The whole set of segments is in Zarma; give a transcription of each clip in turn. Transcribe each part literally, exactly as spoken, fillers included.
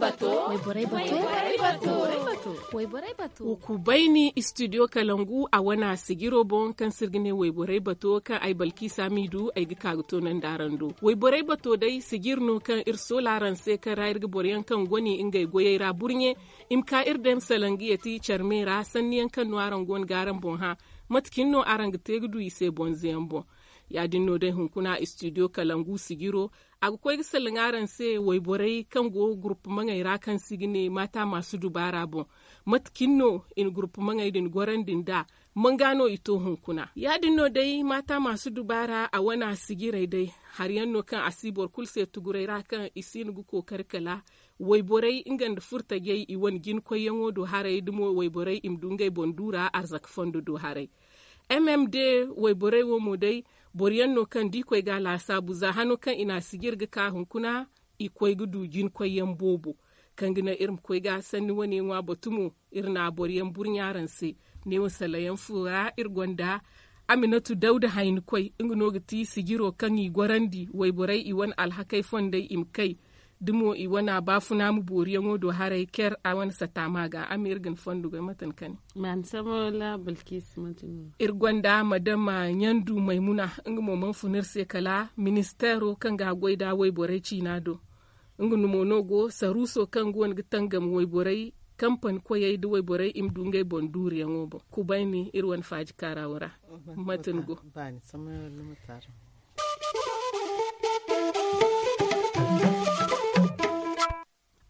Wayborey bato. Wayborey bato. Wayborey bato. Wa kubayni studio kalangu a wana sijiro boŋ kaŋ se iri ga ne wayborey bato kaŋ ay balkiisa m'i du ay ga ka ga toonandi araŋ do. Wayborey bato day sijiri no kaŋ iri soola araŋ se kaŋ ra iri ga boro yaŋ kaŋ goni ngey goyey ra burɲe i ma ka iri day ma salaŋ ga yeti care me ra sanni yaŋ kaŋ no araŋ go no ga araŋ boŋ hã. Mate cine no araŋ ga te ga du i se bonze yaŋ boŋ? Ya- din no day hunkuna studio kalangu sijiro a ga koy ga salaŋ araŋ se wayborey kaŋ go gurpumaŋey ra kaŋ se i ga ne maata maasu dubaara boŋ. Mate cine no i na gurpumaŋey din gorandi nd'a? Manga no i to hunkuna ya- din no day maata maasu dubaara a wana sijirey day. Hari yaŋ no kaŋ a si boro kulu se tuguray ra kaŋ i si hin ga kookari kala wayborey nga nda furtajey i wane jinakoyyaŋo do haray da mo wayborey i ma du ngey boŋ duura arzaka fondo do haray. M m d wayborey wo mo day boro yaŋ no kaŋ da i koy ga a laasaabu za hano kaŋ i na a sijir ga ka hunkuna i koy ga du jinakoyyaŋ boobo. Kaŋ ga naŋ iri ma koy ga sanni wane ŋwa batu mo iri na boro yaŋ burɲa araŋ se. Neewo salayaŋ fo ra iri gonda aminatu dawda haynikoy nga no ga ti sijiro kaŋ i gorandi wayborey i wane alhakey fondey i ma kay da mo i wane baafuna ma booriyaŋo do haray ker a wane sataama ga a ma iri ga ni fondo goy mate ni kani. Iri gonda madama ɲandu maymuna nga mo mana fun iri se kala ministeero kaŋ ga a goy nda wayborey ciina do. Nga no mo no go saruuso kaŋ go no ga tangam wayborey kampani koyey nda wayborey i ma du ngey boŋ duuriyaŋo boŋ kubayni iri wane faaji kaaraawo ra. Mate ni go?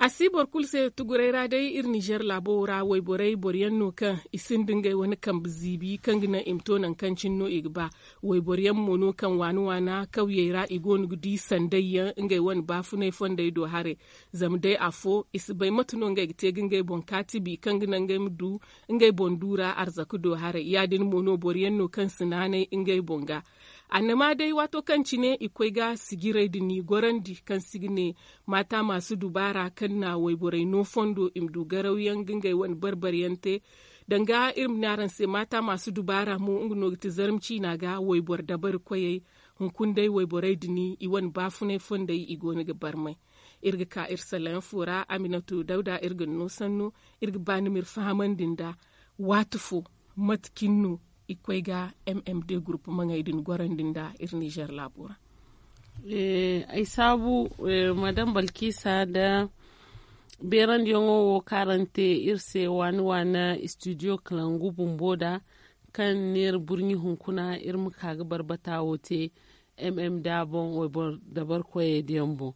A si boro kulu se tuguray ra day iri nizer laabo wo ra wayborey boro yaŋ no kaŋ i sinda ngey wane kambe ziibi kaŋ ga naŋ i ma to nangu kaŋ cine no i ga ba. Wayboro yaŋ mo no kaŋ waana waana kawyey ra i go no ga di sanday yaŋ ngey wane baafunay fondey do haray. Zama day afo i si bay mate no ngey ga te ga ngey boŋ kaatibi kaŋ ga naŋ ngey ma du ngey boŋ duura arzaka do haray ya- din mo no boro yaŋ no kaŋ si naanay ngey boŋ ga. Annama day waato kaŋ cine i koy ga sijirey din i gorandi kaŋ si ga ne maata maasu dubaara kaŋ na wayborey no fondo i ma du garawyaŋ ga ngey wane barbaryaŋ te. Danga iri ma ne araŋ se maata maasu dubaara mo nga no ga ti zarma ciina ga wayboro dabari koyey. Hunkuna day wayborey din i wane baafunay fondey i go no ga barmay. Iri ga ka iri salayaŋ fo ra aminatu dawda iri ga ni no sanno. Iri ga ba ni ma iri fahamandi nda waati fo mate cine no i koy ga m m d gurpumaŋey din gorandi nda iri nizer laabo ra. Ay saabu madam balkisa nda beerandiyaŋo wo kaŋ araŋ te iri se waani waani studio kalangu bumbo nda kaŋ neera burɲi hunkuna iri ma ka ga barbata wo te. M m d boŋ wayboro dabarkoyey diyaŋ boŋ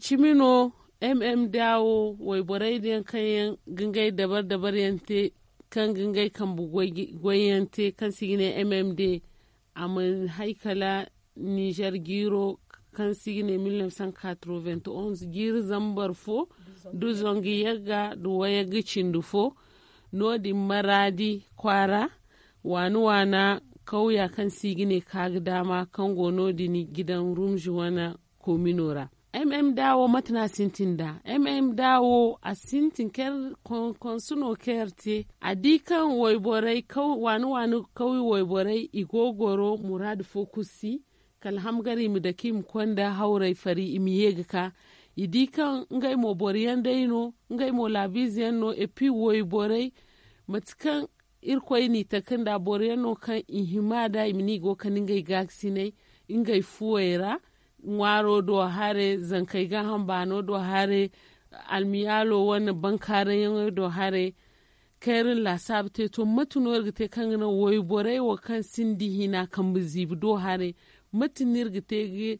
cimi no. M m d wo wayborey diyaŋ kaŋ yaŋ ga ngey dabar dabar yaŋ te kaŋ ga ngey kambe goyyaŋ te kaŋ se i ga ne m m d a mana hay kala nizer jiiro kaŋ se i ga ne mille neuf cent quatre-vingt-onze jiiri zambar fo nda zangu yagga nda wayagga cindi fo. No- din maraadi kwaara waana waana kawya kaŋ se i ga ne kaaga daama kaŋ go no- din gidan rumzi wane komino ra. M m d wo mate no a sintin nda m m d wo a sintin kaŋ konsu no kaŋ yar te a di kaŋ wayborey waana waana kawya wayborey i go goro muraadu fo kulu si kala hamgar i ma dake i ma konda hawrey fari i ma ye ga ka. I di kaŋ ngey mo boro yaŋ day no ngey mo laabiize yaŋ no epi wayborey mate kaŋ irkoy n'i taka nda boro yaŋ no kaŋ i hima da i ma ne i go kande ngey gaakasinay ngey fuwey ra ŋwaaro do hare zankey gaaham baano do hare almiyaalo wane bankaarayyaŋey do hare. Kaŋ iri na laasaabu te to mate no iri ga te kaŋ ga naŋ wayborey wo kaŋ sinda hina kambe ziibi do hare mate no iri ga te ga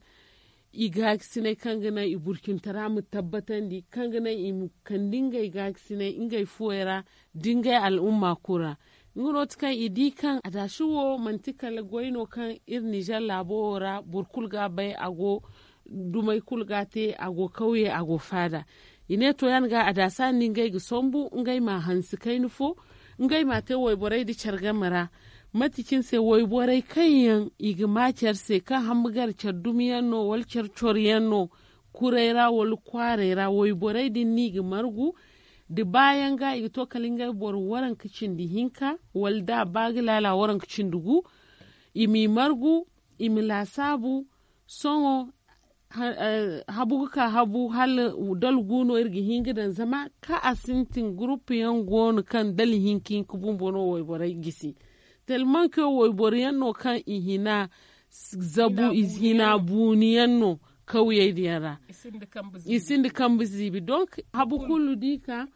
i gaakasinay kaŋ ga naŋ i burcintara ma tabbatandi kaŋ ga naŋ i ma kande ngey gaakasinay ngey fuwey ra da ngey al'umma kulu ra. Nga no ti kaŋ i di kaŋ adaasi wo manti kala goy no kaŋ iri nizer laabo wo ra boro kulu ga a bay a go dumey kulu ga a te a go kawye a go faada. I ne to yaŋ ga adaasa nda ngey ga sambu ngey ma a hanse kayna fo ngey ma a te wayborey nda care game ra. Mate cine se wayborey kaŋ yaŋ i ga ma care se kaŋ hamma gar care dumi yaŋ no wala care coro yaŋ no kuray ra wala kwaaray ra wayborey din no i ga margu da baayaŋ ga i ga to kala ngey boro waranka cindi hinka wala da a ba ga laala waranka cindi gu. I m'i margu i ma laasaabu sohõ habu ga ka habu hala dala gu no iri ga hin ga daŋ zama kaŋ a sintin gurupu yaŋ go no kaŋ dala hinka hinka bumbo no wayborey gisi. Talmanke wayboro yaŋ no kaŋ i hina zabu i hina buuni yaŋ no kawyey din yaŋ ra. I sinda kambe ziibi donk habu kulu da i ka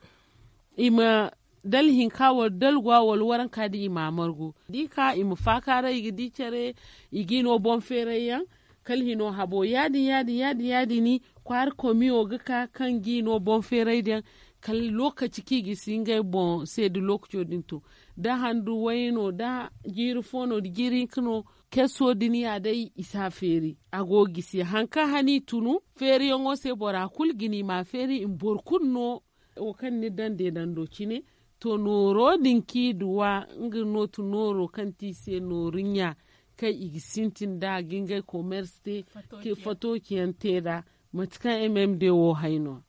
i ma dala hinka wala dala gwa wala waranka din i ma a margu da i ka i ma faakaaray i ga di care. I ga i no boŋ feeray yaŋ kala hino habo ya- din ya- din ya- din ya- din ni kwaara komiyo ga ka kaŋ ga i no boŋ feeray din yaŋ kala lookaci kaŋ i ga si ngey boŋ se da lookaco din to da handu way no da jiiri fo no da jiiri hinka no. Keso din ya day i si a feeri a go ga gisi hari kaŋ hana i tunu feeriyaŋo se bora kulu ga ni ma a feeri i ma boro kulu no. Wo kaŋ ni daŋ deedando cine to nooro din kaŋ i duwa nga nootu nooro kaŋ ti i se nooru ɲa kaŋ i ga sintin nd'a ga ngey komersi te fato ciyaŋ te nd'a. Mate kaŋ m m d wo hay no.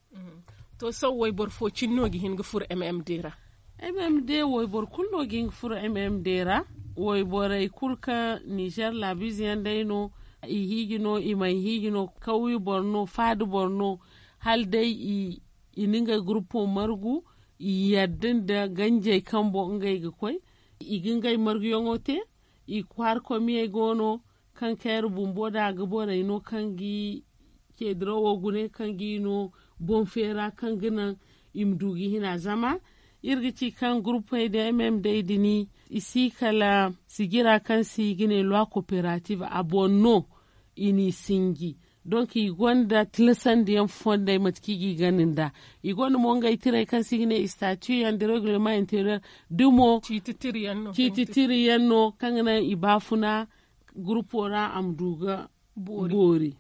To sohõ wayboro fo cine no ga hin ga furo m m d ra? M m d wayboro kulu no ga hin ga furo m m d ra. Wayborey kulu kaŋ nizer laabiize yaŋ day no i hiiji no i mana hiiji no kawyu boro no faada boro no hala day i na ngey gurupo margu. I yadda nda ganjey kaŋ boŋ ngey ga koy i ga ngey marguyaŋo te. I kwaara komiyey go no kaŋ kayra bumbo da a ga borey no kaŋ ga i ceedirawo gune kaŋ ga i no boŋ feera kaŋ ga naŋ i ma du ga hina zama iri ga ci kaŋ gurupey da m m d din i si kala sijira kaŋ se i ga ne loi kooperative a boŋ no. I n'i sinji donk i gonda tilasandiyaŋ fondey mate kaŋ i ga i gana nd'a. I gonda mo ngey tirey kaŋ se i ga ne statut yaŋ da reglement interieur da mo ciiti tiriyaŋ no kaŋ ga naŋ i baafuna gurupo ra a ma du ga boori.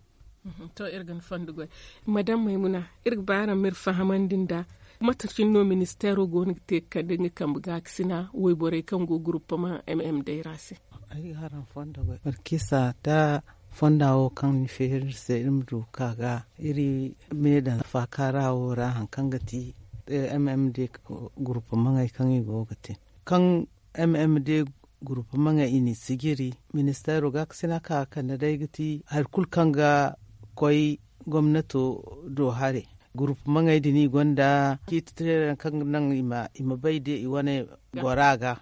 To iri ga ni fondo goy madam maymuna, iri ga ba araŋ ma iri fahamandi nd'a mate cine no ministeero go no ga te ga kande nga kambe gaakasina wayborey kaŋ go guruppama m m d ra se? Ay ga araŋ fondo goy barkisa da fonda wo kaŋ ni feeri iri se iri ma du ga ka ga iri me daŋ faakaara wo ra hari kaŋ ga ti m m d guruppama ŋey kaŋ i go ga te kaŋ m m d guruppama ŋey i n'i sijiri. Ministeero gaakasina ka ga kande day ga ti hari kulu kaŋ ga koy gomnato do haray. Guruppama ŋey din i gonda ciiti tirey yaŋ kaŋ ga naŋ i ma bay day i wane goro a ga.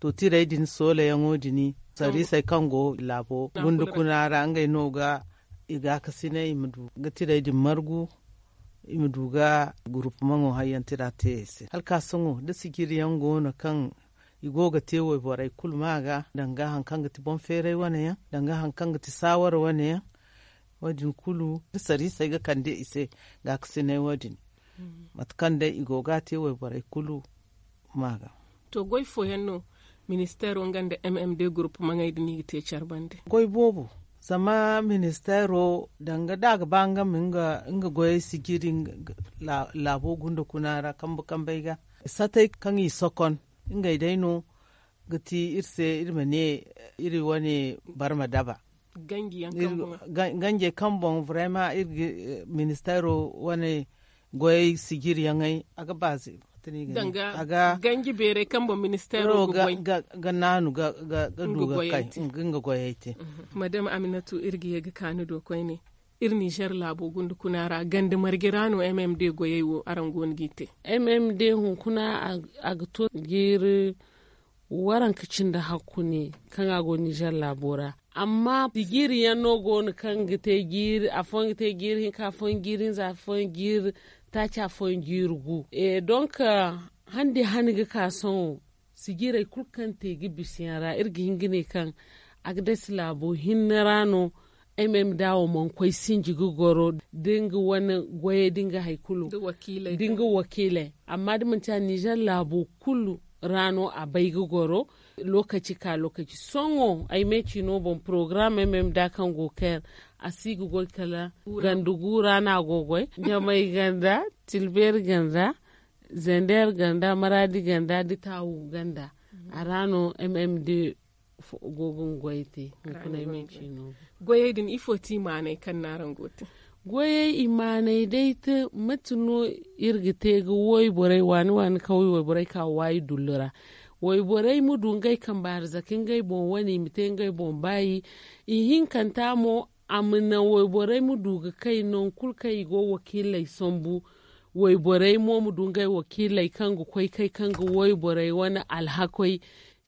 To tirey din soolayaŋo din sarrisey kaŋ go laabo gunda kuna ra ngey no ga i gaakasinay i ma du ga tirey din margu. I ma du ga gurupumaŋo hayyaŋ tira te i se hala ka sohõ da sijiriyaŋ go no kaŋ i go ga te wayborey kulu ma ga danga hari kaŋ ga ti boŋ feeray wane yaŋ danga hari kaŋ ga ti saawara wane yaŋ. Wo- din kulu da sarrisey ga kande i se gaakasinay wo- din mate kaŋ day i go ga a te wayborey kulu ma ga. To goy fooyaŋ no ministeero nga nda m m d gurupumaŋey din i ga te care bande? Goy boobo. Zama ministeero danga da a ga ba nga ma nga goyey sijiri laabo gunda kuna ra kambe kambey ga satey kaŋ i sokon ngey day no ga ti iri se iri ma ne iri wane barma daba. Ganjey kaŋ boŋ vraiment iri ga ministeero wane goyey sijiriyaŋey a ga baaze. Danga ganji beerey kaŋ boŋ ministeero ga naanu ga du ga kay nga goyey te. Madame aminatu iri ga ye ga ka ni do koyne. Iri nizer laabo gunda kuna ra ganda marje ra no m m d goyey wo araŋ go no g'i te? M m d hunkuna a ga to jiiri waranka cindi hakku ne kaŋ a go nizer laabo ra. Amma jiiri yaŋ no go no kaŋ ga te jiiri afooyaŋ ga te jiiri hinka afooyaŋ jiiri hinza afooyaŋ jiiri taaci afooyaŋ jiiri gu. Donk handi hane ga ka sohõ sijirey kulu kaŋ te ga bisa yaŋ ra iri ga hin ga ne kaŋ a ga dasi laabo hinne ra no. M m d wo mana koy sinji ga goro da nga wane goyey da nga hari kulu da nga wakiiley amma da manti a nizer laabo kulu ra no a bay ga goro. Lookaci ka lookaci sohõ ay me ciino boŋ porogaram m m d kaŋ go ga kay a si ga goy kala ganda gu ra no a go ga goy ɲamay ganda, tilbeeri ganda, zender ganda, maraadi ganda nda taawu ganda. A ra no m m d go ga nga goyey te. Hunkuna ay me ciino boŋ goyey din ifo ti i maanay kaŋ no araŋ go ga te? Goyey i maanay day te mate no iri ga te ga wayborey waani waani kawye wayborey ka waayi dullu ra. Wayborey ma du ngey kambe arzaka ngey boŋ wane i ma te ngey boŋ baayi. Ihinkanta mo a ma naŋ wayborey ma du ga kay nangu kulu kaŋ i go wakiiley sambu. Wayborey mo ma du ngey wakiiley kaŋ ga koy kay kaŋ ga wayborey wane alhakoy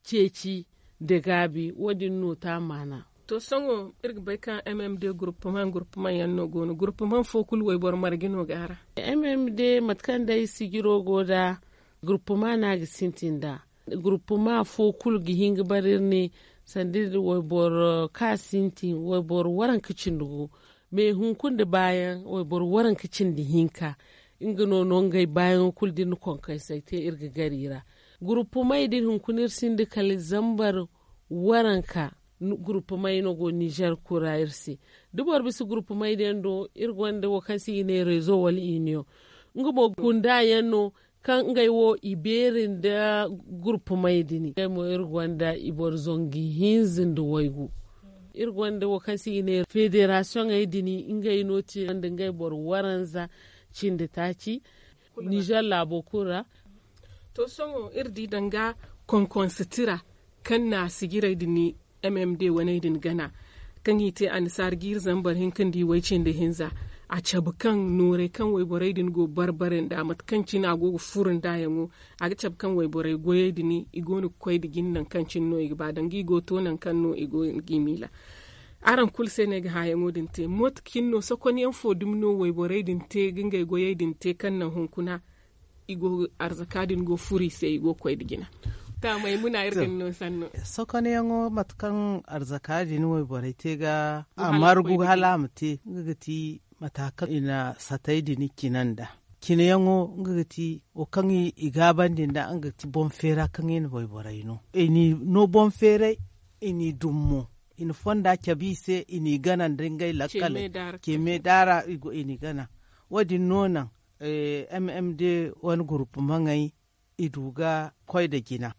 ceeci nda gaabi. Wo- din no te a maana. To sohõ iri ga bay kaŋ m m d guruppuman guruppuman yaŋ no go no guruppuman fo kulu wayboro marge no go a ra. M m d mate kaŋ day sijiro go nd'a guruppuma no a ga sintin nd'a. Guruppuma fo kulu ga hin ga bare iri ne sanda iri wayboro kaŋ a sintin wayboro waranka cindi gu. Me hunkuna nda baayaŋ wayboro waranka cindi hinka nga no no ngey baayaŋo kulu da iri na konkaysay te iri ga gar i ra. Guruppumey din hunkuna iri sinda kala zambar waranka. Guruppumey no go nizer kulu ra iri se da boro bisa guruppumey din do iri gonda wo kaŋ se i ga ne rezo wala iniyoŋ. Nga mo gunda yaŋ no kaŋ ngey wo i beeri nda guruppumey din ngey mo iri gonda i boro zangu hinza nda waygu. Iri gonda wo kaŋ se i ga ne federasiyoŋey din ngey no te nda ngey boro waranza cindi taaci nizer laabo kulu ra. To sohõ iri di danga konkonse tira kaŋ na sijirey din m m d waney din gana kaŋ i te annasaara jiiri zambar hinka nda i way cindi hinza. A cabe kaŋ noorey kaŋ wayborey din go barbare nda mate kaŋ cine a go ga furo nd'a yaŋo. A ga cabe kaŋ wayborey goyey din i go no ga koy nda jine nangu kaŋ cine no i ga ba danga i go to nangu kaŋ no i go ga i miila. Araŋ kulu se no ay ga hããyaŋo din te mootacin no sokonyaŋ fo dumi no wayborey din te ga ngey goyey din te kaŋ naŋ hunkuna i go arzaka din go furo i se i go ga koy nda jina. Taamay muna iri ga ni no sanno. Sokonyaŋo mate kaŋ arzaka din wayborey te ga a margu hala a ma te nga ga ti mata kaŋ i na satay din cina nda cinayaŋo nga ga ti wo kaŋ i gaabandi nda nga ga ti boŋ feera kaŋ i na wayborey no i n'i no boŋ feeray i n'i dum mo i na fonda cabe i se i n'i gana nda ngey lakkal. Ceme daara i n'i gana. Wo- din no naŋ m m d wane gurupu maŋey i du ga koy nda jina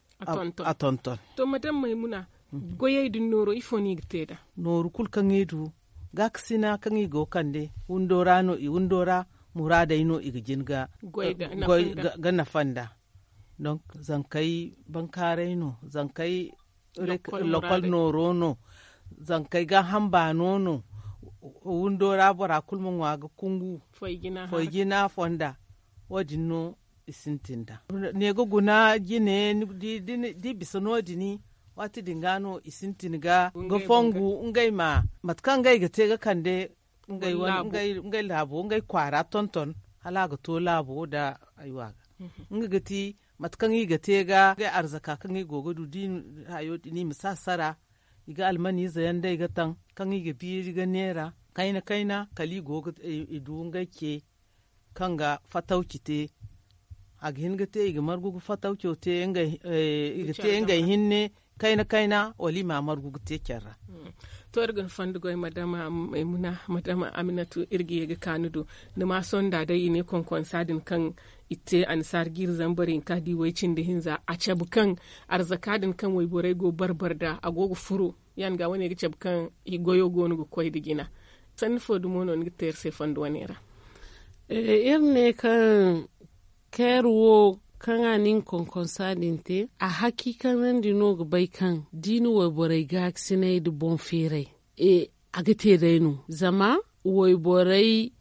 a tonton. To madam maymuna goyey din nooro ifo no i ga te nd'a? Nooru kulu kaŋ i du gaakasina kaŋ i go ga kande windo ra no i windo ra muraadey no i ga jin ga nafa nd'a. Donk zankey bankaaray no zankey lokol nooro no zankey gaaham baano no. Windo ra bora kulu ma ŋwa ga kungu foy jina fonda. Wo- din no i sintin nd'a ne ga guna jine da i bisa no- din waati din ga no i sintin ga fongu ngey ma mate kaŋ ngey ga te ga kande ngey laabo ngey kwaara tonton hala a ga to laabo nda aywa ga nga ga ti mate kaŋ i ga te ga ngey arzaka kaŋ i go ga du da i hayo din i ma si a sara i ga almaniize yaŋ day ga taŋ kaŋ i ga biiri ga neera kayna kayna kala i go ga i du ngey ce kaŋ ga fatawci te. A ga hin ga te i ga margu ga fatawco te i ga te ngey hinne kayna kayna wala i ma margu ga te care ra. To iri ga ni fondo goy madama maymuna madama aminatu iri ga ye ga ka ni do ni ma sonda day i ne konkonsa din kaŋ i te annasaara jiiri zambar hinka da i way cindi hinza a cabe kaŋ arzaka din kaŋ wayborey go barbara nd'a a go ga furo ya nga wane ga cabe kaŋ i goyo go no ga koy nda jina. Sanni fo dumo no ni ga te iri se fondo wane ra? Iri ne kaŋ keer wo kaŋ a na nga konkonsa din te a hakiikanandi no ga bay kaŋ da i na wayborey gaakasinay nda boŋ feeray a ga te day no zama wayborey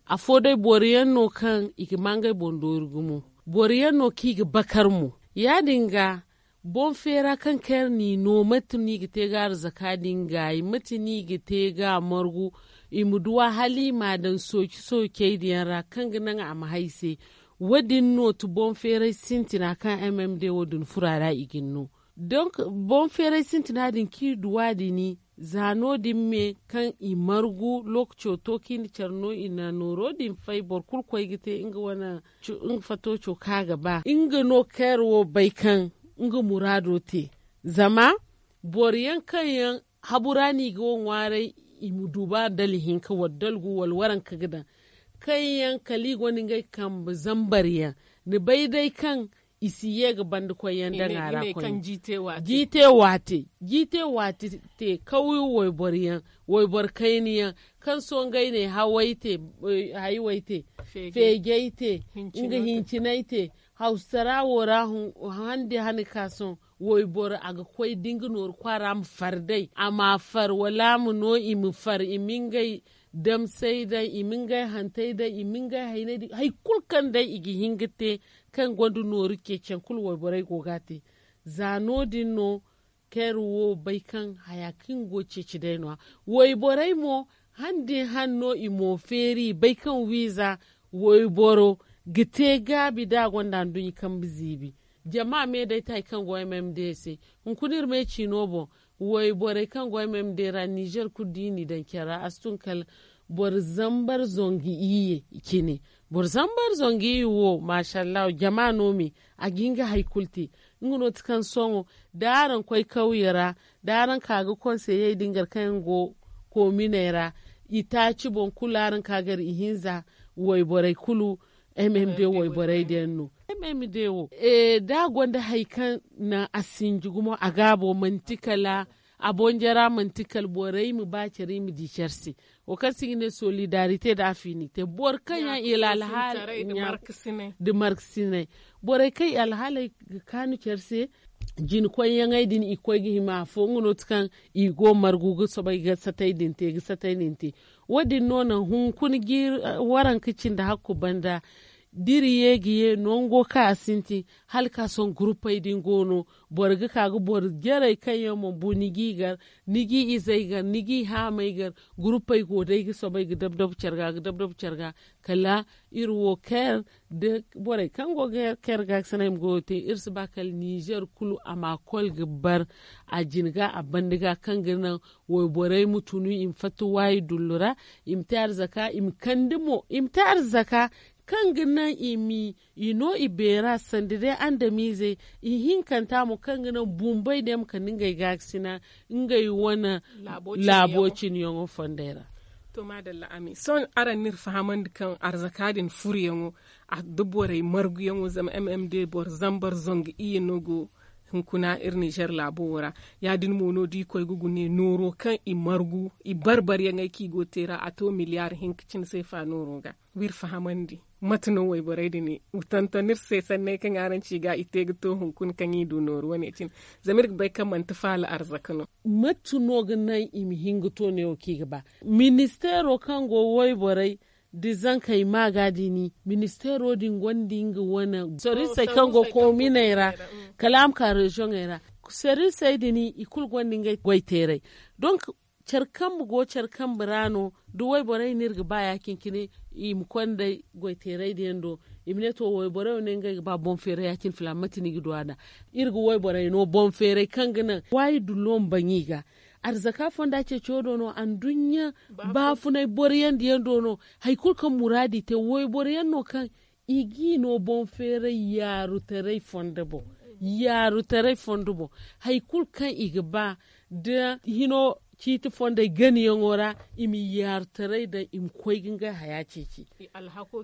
afo day boro yaŋ no kaŋ i ga ma ngey boŋ doori gumo. Boro yaŋ no kaŋ i ga bakar mo ya- din ga boŋ feera kaŋ kaŋ iri n'i no mate no i ga te ga arzaka din gaayi mate no i ga te ga a margu i ma duw'a hala i m'a daŋ sooci soocey din yaŋ ra kaŋ ga naŋ a ma hay se. Wo- din no ti boŋ feeray sintina kaŋ m m d wo- din furo a ra i ga ni no. Donk boŋ feeray sintina din kaŋ i duw'a din za no- din me kaŋ i margu lookaco to kaŋ i na care no i na nooro din fay boro kulu koy ga te nga wane nga fatooco kaŋ a ga ba nga no kaŋ iri wo bay kaŋ nga muraado te. Zama boro yaŋ kaŋ yaŋ habu ra no i ga wo ŋwaaray i ma du ba dala hinka wala dala gu wala waranka ga daŋ kaŋ yaŋ kala i gonda ngey kambe zambar yaŋ ni bay day kaŋ i si ye ga banda koy yaŋ daŋ a ra koy. Jiite waate jiite waate te kawyo wayboro yaŋ wayboro kayna yaŋ kaŋ sohõ ngey ne haway te hayway te feejay te nga hincinay te hawsara wo ra hande hane ka sohõ Wayboro a ga koy da nga nooru kwaara ma far day a ma far wala a ma no i ma far i ma ngey damsey daŋ i ma ngey hantey daŋ i ma ngey hayney daŋ hari kulu kaŋ day i ga hin ga te. Kaŋ gonda nooru ceeciyaŋ kulu wayborey go ga a te. Za no- din no keer wo bay kaŋ haya kaŋ go ceeci day no- ya. Wayborey mo han da i han no i mo feeri i bay kaŋ wiiza wayboro ga te gaabi da a gonda nduɲɲa kambe ziibi. Jama me day te hari kaŋ go m m d se. Hunkuna iri me ciino boŋ wayborey kaŋ go m m d ra nizer kulu da i n'i daŋ care ra a si tun kala boro zambar zangu iyye cine. Boro zambar zangu iyye wo maasa allahu jama no me a ga hin ga hari kulu te. Nga no ti kaŋ sohõ da araŋ koy kawye ra da araŋ ka ga konseyey din gar kaŋ yaŋ go koominey ra i taaci boŋ kulu araŋ ka gar ihinza wayborey kulu. M m d wayborey din yaŋ no. M m d wo da a gonda hari kaŋ naŋ a sinji gumo a gaabo manti kala a boŋ jara manti kala borey ma ba care i ma di care se. Wo kaŋ se i ga ne solidarite da afinite boro kaŋ yaŋ i alhaali da markasinay borey kaŋ i alhaaley ga kaanu care se. Jinkoyyaŋey din i ga koy ga hima afo nga no ti kaŋ i go margu ga soobay ga satay din te ga satay din te. Wo- din no naŋ hunkuna ga iri waranka cindi hakku banda da iri ye ga ye nango kaŋ a sintin hala ka sohõ guruppey din go no. Boro ga ka ga boro jarey kaŋ yaŋ mana bu ni g'i gar ni g'i izey gar ni g'i haamey gar. Guruppey go day ga soobay ga dab-dab care ga ga dab-dab care ga kala iri wo kair da borey kaŋ go ga kair ga ga sanay ma goyo te iri si ba kala nizer kulu a ma kol ga bar a jina ga a banda ga kaŋ ga naŋ wayborey ma tunu i ma fatta waayi dullu ra i ma te arzaka i ma kande mo i ma te arzaka kaŋ ga naŋ i ma i no i beera sanda day andamiizey ihinkanta mo kaŋ ga naŋ bumbey day ma kande ngey gaakasina ngey wane laabo cine yaŋo fondey ra. To maadalla amin sohõ araŋ n'iri fahamandi kaŋ arzaka din furuyaŋo da borey marguyaŋo zama m m d boro zambar zangu iyye no go hunkuna iri nizer laabo wo ra. Ya- din mo no da i koy ga gune nooro kaŋ i margu i barbaryaŋey kaŋ i go ga te ra a to miliyar hinka cine seefa nooro ga. W'iri fahamandi mate no wayborey din i tonton iri se sanney kaŋ araŋ ci ga i te ga to hunkuna kaŋ i du nooru wane cine. Zama iri ga bay kaŋ manti faala arzaka no. Mate no ga naŋ i ma hin ga to neewo kaŋ i ga ba? Ministeero kaŋ go wayborey da zankey ma ga din ministeero din gonda nga wane serwisey kaŋ go kominey ra kala a ma ka reziyoŋey ra. Serwisey din i kulu gonda ngey goyteeray. Donk care kambe go care kambe ra no da wayborey no iri ga ba ya- cine i ma konda goyteerey din yaŋ do i ma ne to wayborey wo ne ngey ga ba boŋ feeray ya- cine filaana mate no i ga du a nd'a? Iri ga wayborey no boŋ feeray kaŋ ga naŋ waayi dullo ma baŋ i ga. Arzaka fonda ceeciyo do no anduɲɲa baafunay boro yaŋ da yaŋ do no hari kulu kaŋ muraadu i te wayboro yaŋ no kaŋ i g'i no boŋ feeray yaarutaray fondo boŋ. Yaarutaray fondo boŋ hari kulu kaŋ i ga ba da hino ciiti fondey ganayaŋo ra i ma yaarutaray daŋ i ma koy ga ngey haya ceeci.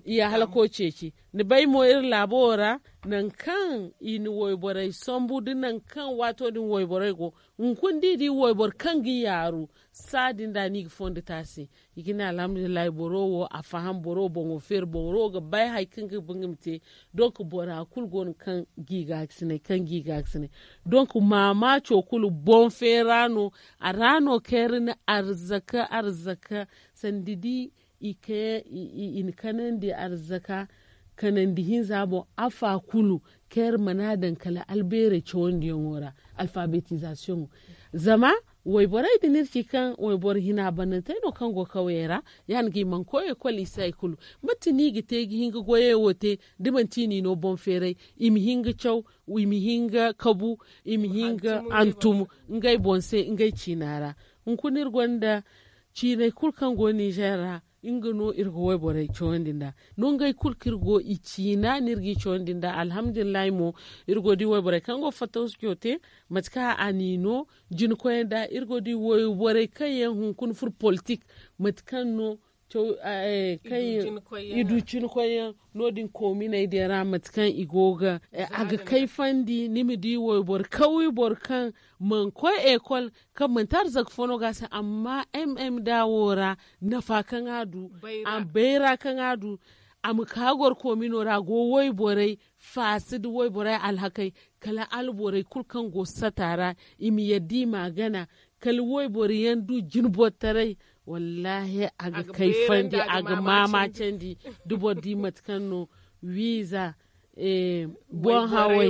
I alhako ceeci ni bay mo iri laabo wo ra nangu kaŋ i na wayborey sambu da nangu kaŋ waato din wayborey go hunkuna da i di wayboro kaŋ ga yaaru saa din da no i ga fondo te a se. I ga ne alhamdulillahi boro wo a faham boro boŋo feeri boro ga bay hari kaŋ ga ba nga ma te. Donk bora kulu go no kaŋ ga i gaakasinay kaŋ ga i gaakasinay. Donk maamaaco kulu boŋ feera no a ra no kaŋ iri na arzaka arzaka sanda da i na kanandi arzaka kanandi hinza boŋ afa kulu kaŋ iri mana daŋ kala albeerey cawandiyaŋo ra alfabetizasiyoŋo. Zama wayborey din iri ci kaŋ wayboro hina bannantey no kaŋ go kawyey ra ya- din ga i mana koy ekol i si hari kulu. Mate no i ga te ga hin ga goyey wo te da manti i n'i no boŋ feeray i ma hin ga caw i ma hin ga kabu i ma hin ga hantum ngey boŋ se ngey ciina ra. Hunkuna iri gonda ciiney kulu kaŋ go nizer ra nga no iri ga wayborey cawandi nd'a. Nongey kulu kaŋ iri go i ciina no iri g'i cawandi nd'a alhamdulillahi mo iri go ga di wayborey kaŋ go ga fattaw succo te mate kaŋ a n'i no. Jinkoyey nd'a iri go ga di wayborey kaŋ yaŋ hunkuna furo politik mate kaŋ no caw kaŋ i du cinkoyyaŋ no- din koominey din ra mate kaŋ i go ga a ga kayfandi ni ma di wayboro kawye boro kaŋ mana koy ekol kaŋ manti arzaka fo no ga a se amma m m d wo ra nafa kaŋ a du bayra kaŋ a du A ma ka gorkomino ra go wayborey faasi nda wayborey alhakey, kala alborey kulu kaŋ go sata ra, i ma yadda i m'a gana, kala wayboro yaŋ du jinbortaray. Wallaahi a ga kayfandi, a ga maamacandi. Da boro di mate kaŋ no wiiza boŋ haway,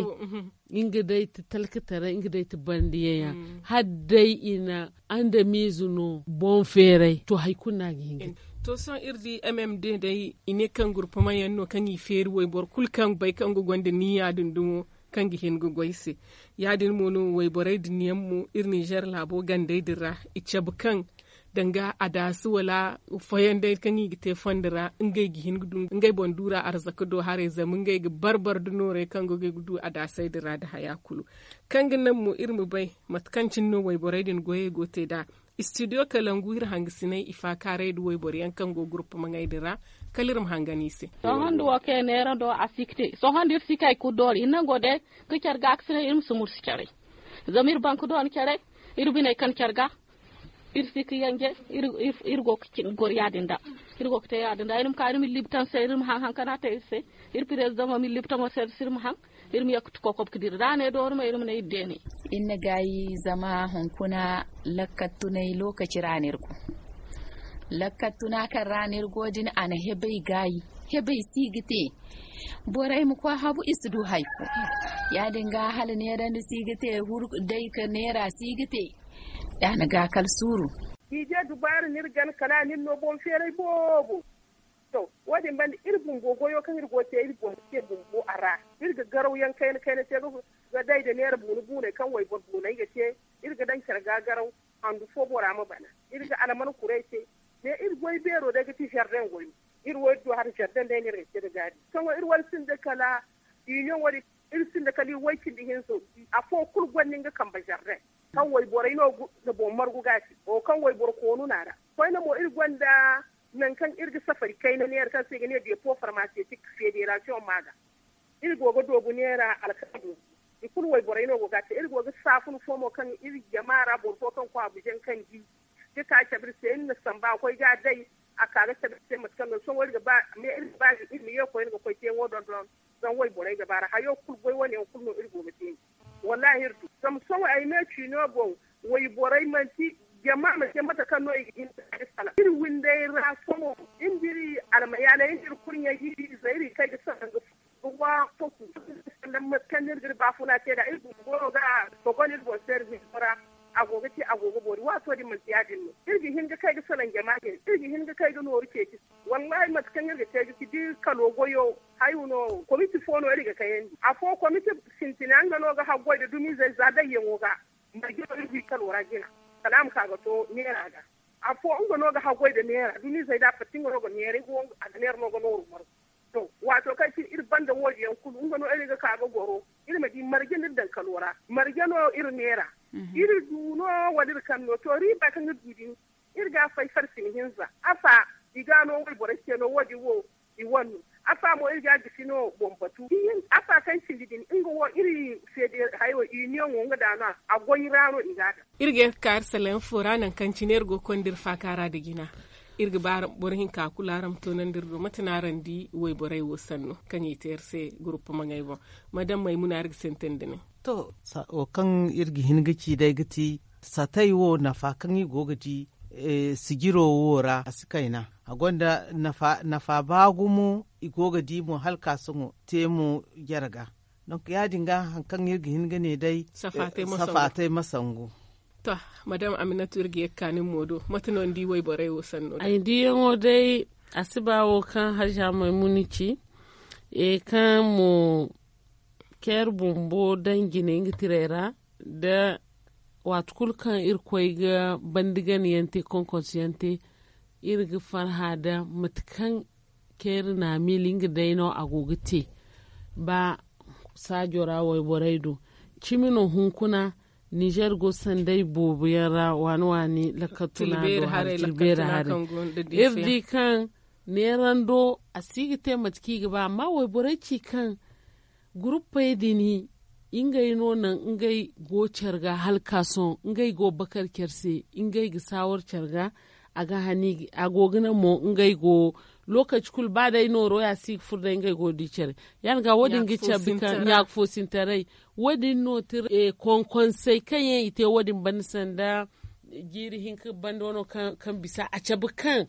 nga day ti talkataray, nga day ti bandiyaŋ yaŋ. Hala day i na andamiize no boŋ feeray, to hari kulu no a ga hin ga. To sohõ iri di mm day i ne kaŋ gurpama yaŋ no kaŋ i feeri wayboro kulu kaŋ bay kaŋ ga gonda niyya din dumo, kaŋ ga hin ga goy se. Ya- din mo no wayborey din yaŋ mo iri ninzeer laabo gandey din ra, i cabe kaŋ danga adaasi wala foyandey kaŋ i ga te fondo ra, ngey ga hin ga du ngey boŋ duura arzaka do haray zama ngey ga bar-bar nda noorey kaŋ ga goy ga du adaasey din ra nda haya kulu. Kaŋ ga naŋ mo iri ma bay mate kaŋ cine no wayborey din goyey go te nd'a. Istidiyo kalangu iri hangasiney i faakaaray nda wayboro yaŋ kaŋ go gurpamaŋey din ra, kala iri ma hangan i se. Sohõ nda wo kaŋ neera do a si ga te sohõ nda iri si ga hay kulu doori iri nango day, ga care ga a ga si ne iri ma si mursi care. Zama iri bank doona care, iri biney kan care ga, iri si ga yanje. Iri go ga cin goro ya- din da. Iri go ga te ya- din da iri ma ka iri ma libtan se iri ma haŋ haŋ kaŋ a te iri se. Iri pirezidaŋo ma libtaŋo se iri ma haŋ. Iri ma ye ga ti kokob ga dira da a ne doori ma iri ma ne iri deene. Iri na gaayi zama hunkuna lakkal tunay lookaci ra no iri go. Lakkal tuna kaŋ ra no iri go din a na hebey gaayi. Hebey si ga te. Borey ma koy habu i si du hari fo. Ya- din ga hala neerandi si ga te. Huru day ka neera si ga te. Ya- na ga kala suuru. Niize dubaara no iri gana kala a na iri no boŋ feeray boobo. To, wo- din banda iri bumbo goyo kaŋ iri go ga te iri boŋ te bumbo a ra. Iri ga garaw yaŋ kayna kayna te ga day nda neera buuna buuney kaŋ wayboro buuney ga te. Iri ga daŋ care ga garaw handu fo bora ma bana. Iri ga alman kuray te. Ne iri goy beero day ga ti zardeŋ goy. Iri wo iri du hari zardeŋ day no iri ga te ga gaabi sohõ iri wane sinda kala. Iri sinda kala iri way cindi hinzo. Afo kulu gonda nga kambe zardeŋ kaŋ wayborey no ga boŋ margu ga a te. Wo kaŋ wayboro koonu no a ra. Koyne mo iri gonda nangu kaŋ iri ga safari kayna neera kaŋ se i ga ne depo farmasetik federasiyoŋ ma ga. Iri go ga doobu neera alkala bumbo. I kulu wayborey no go ga a te iri go ga saafun fo mo kaŋ iri jama ra boro fo kaŋ koy abuja kaŋ di ga ka cabe iri se iri na samba a koy ga a day. A ka ga cabe iri se mate kaŋ no sohõ iri ga ba iri ma ye koyne ga koy teeŋo dondon. Zama wayborey ga ba ra hayo kulu goy wane yaŋ kulu no iri go ga te. Wallaahi iri du zama sohõ ay me ciino boŋ. Wayborey manti jama ma te mate kaŋ no i ga hin ga salaŋ iri windey ra sohõ. Iri nda iri almayaaney iri nda iri kurɲey iri ize iri kay ga salaŋ ga fo ga wa foku. Salaŋ mate kaŋ no iri ga iri baafuna te nd'a iri bumbo no ga a sogon iri boŋ se iri windo ra. A go ga te a go ga boori waato din manti ya- din no iri ga hin ga kay ga salaŋ jama jine iri ga hin ga kay ga nooru ceeci. Wallaahi mate kaŋ iri ga te ga ci da iri kalo goyo. Hayo no komiti fo no iri ga kayandi afo komiti sintina nga no ga haggoy nda dumiizey za dayyaŋo ga. Marje no iri wi kalo ra jina kala a ma ka ga to neera ga. Afo nga no ga haggoy nda neera dumiizey da a fatta nga no ga neera i go a ga neera no ga nooru margu. To waato kaŋ cine iri banda wo- din yaŋ kulu nga no iri ga ka ga goro iri ma di marje no iri daŋ kalo ra marje no iri neera. Iri du no wala iri kaŋ no to riiba kaŋ iri du din. Iri ga a fay farsi ma hinza afa i ga no wayborey se no wo- din wo i wane no. Afa mo iri ga a gisi no boŋ batu afa kaŋ cindi din nga wo iri feede hayo i niyaŋo nga da no a goy ra no i ga a daŋ. Iri ga ye ga ka iri salaŋ fo ra nangu kaŋ cine iri go ga konda iri faaka ra nda jina. Iri ga ba boro hinka kulu araŋ ma toonandi iri do mate no araŋ di wayborey wo sanno kaŋ i te iri se gurupu maŋey boŋ. Madame maymuna iri ga sintin da nin. To wo kaŋ iri ga hin ga ci day ga ti satay wo nafa kaŋ i go ga di sijiro wo ra a si kayna a gonda nafa ba gumo. I go ga di mo hala ka sohõ te mo jare ga. Donk ya- din ga hari kaŋ iri ga hin ga ne day safaatay ma sangu. To madame aminatu iri ga ye ga ka nin mo do mate no ni di wayborey wo sanno day? Ay diyaŋo day a si ba wo kaŋ haja maymuna ci kaŋ mo ceeri bumbo daŋ jine nga tirey ra. Da waati kulu kaŋ iri koy ga bandi gana yaŋ te konkonsu yaŋ te iri ga farha da mate kaŋ ceeri na a miila nga day no a go ga te. Ba saajo ra wayborey do cimi no hunkuna ninzeer go sanday boobo yaŋ ra waani waani lakkal tuna do hari ciri beeri haray. Iri di kaŋ neerando a si ga te mate kaŋ i ga ba amma wayborey ci kaŋ guruppey din ngey no naŋ ngey go care ga hala ka sohõ ngey go bakar care se ngey ga saawar care ga. A go ga naŋ mo ngey go Lokaci kulu ba day nooro ya si ga furo day ngey go ga di care. Ya- din ga wo- din ga cabe kaŋ ɲaaka foosintaray. Wo- din no ti konkonsey kaŋ yaŋ i te wo- din banda sanda jiiri hinka banda wano kaŋ bisa a cabe kaŋ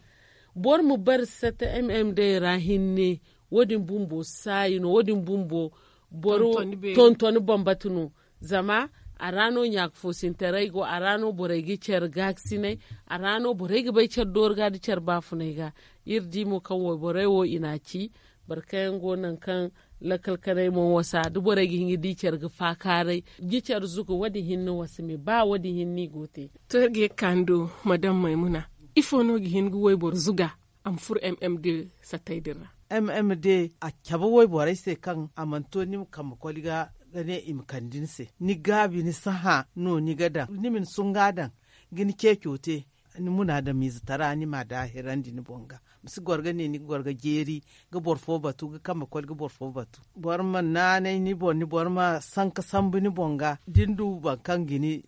boro ma bare sata mm day ra hinne. Wo- din bumbo saayi no wo- din bumbo boro tontoni bambata no. Zama a ra no ɲaaka foosintaray go a ra no borey ga care gaakasinay. A ra no borey ga bay care doori ga da care baafunay ga. Iri di mo kaŋ wayborey wo i n'a ci boro kaŋ yaŋ go nangu kaŋ lakkal kanay mo wasa da borey ga hin ga di care ga faakaaray. Ga care zuga wo- din hinne wasa me ba wo- din hinne i go te. To iri ga ye ga kaanu do madam maymuna, ifo no ga hin ga wayboro zuga a ma furo mm de sattay din ra? Mm de a cabe wayborey se kaŋ a mana to ni ma kambe koli ga ga ne i ma kande ni se ni gaabi ni si hã no ni ga daŋ ni ma ni sunga daŋ ga ni ceeco te. Ni munaadamiize tara ni m'a daahirandi ni boŋ ga ma si goro ga ne ni ga goro ga jeeri ga boro fo batu ga kambe koli ga boro fo batu. Boro ma naanay ni boŋ ni boro ma sanka sambu ni boŋ ga da ni du boro kaŋ ga ni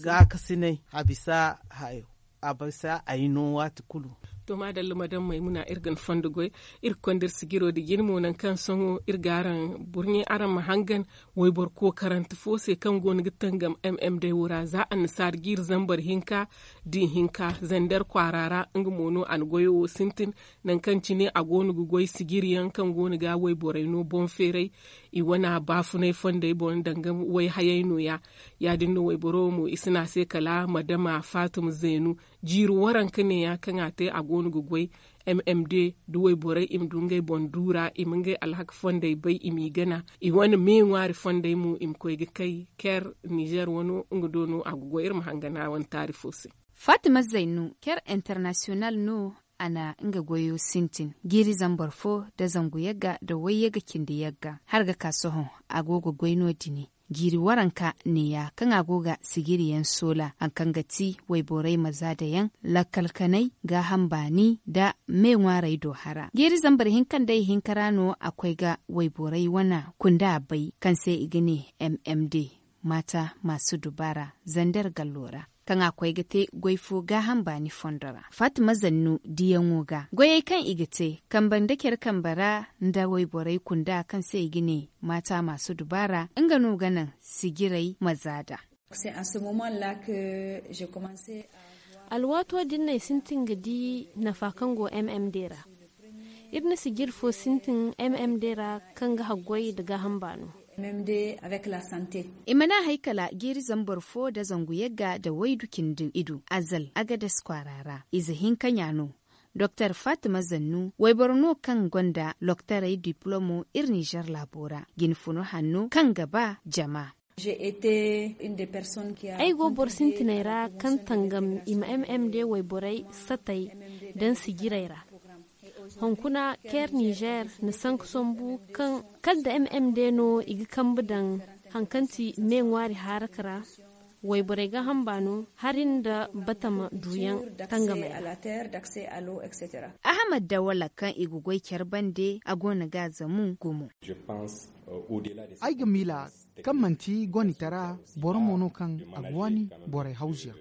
gaakasinay a bisa hayo a bisa ay no waati kulu. To maadalla madam maymuna iri ga ni fondo goy. Iri ga konda iri sijiro nda jine mo nangu kaŋ sohõ iri ga araŋ burɲe araŋ ma hangan wayboro kookarante fo se kaŋ go no ga tangam mm day wo ra za annasaara jiiri zambar hinka da ihinka zander kwaara ra. Nga mo no a na goyo wo sintin nangu kaŋ cine a go no ga goy sijiri yaŋ kaŋ go no ga wayborey no boŋ feeray. I wana baafunay fondey boŋ danga wayhayey no- ya ya- din no wayboro wo mo i si ne a se kala madama faatuma zeenu jiiri waranka ne- ya kaŋ a te a go no ga goy. Mm de da wayborey i ma du ngey boŋ duura i ma ngey alhaka fondey bay i m'i gana i wane me ŋwaari fondey mo i ma koy ga kay ker nizer wano nga do no a ga goy iri ma hangana wane taari fo se. Fatima zainu ker international no a na nga goyo sintin jiiri zambar fo nda zangu yagga nda wayyagga cindi yagga har ga ka sohõ a go ga goy no- din. Jiiri waranka ne- ya kaŋ a go ga sijiri yaŋ soola hari kaŋ ga ti wayborey ma zaada yaŋ lakkal kanay gaaham baani nda me ŋwaarey do hara jiiri zambar hinka nda ihinka ra no a koy ga wayborey wana kunda bay kaŋ se i ga ne mm de maata maasu dubaara zander gallo ra kaŋ a koy ga te goy fo gaaham baani fondo ra fatima zannu diyaŋo ga goyey kaŋ i ga te kambe nda care kambe ra nda wayborey kunda kaŋ se i ga ne maata maasu dubaara nga no ga naŋ sijirey ma zaada. Alwaato din no ay sintin ga di nafa kaŋ go mm day ra. Iri na sijiri fo sintin mm day ra kaŋ ga haggoy nda gaaham baano. I mana hay kala jiiri zambar fo nda zangu yagga nda waydu cindi idu azal agades kwaara ra ize hinka ɲa no. Doktor fatima zannu wayboro no kaŋ gonda loktaray diplomo iri nizer laabo ra jine funu hanno kaŋ ga ba jama. Ay go boro sintinay ra kaŋ tangam i ma mm day wayborey satay daŋ sijiray ra. Hunkuna ker nizer na sanka sambu kaŋ kala nda mm day no i ga kambe daŋ hari kaŋ ti me ŋwaari haaraka ra. Wayborey gaaham baano hari nda batama duyaŋ tangamey ra. Ahamad dawala kaŋ i ga goy care bande a go no ga a zamu gumo. Ay ga miila kaŋ manti gonitara boro mo no kaŋ a ga waani borey hawzuyaŋ.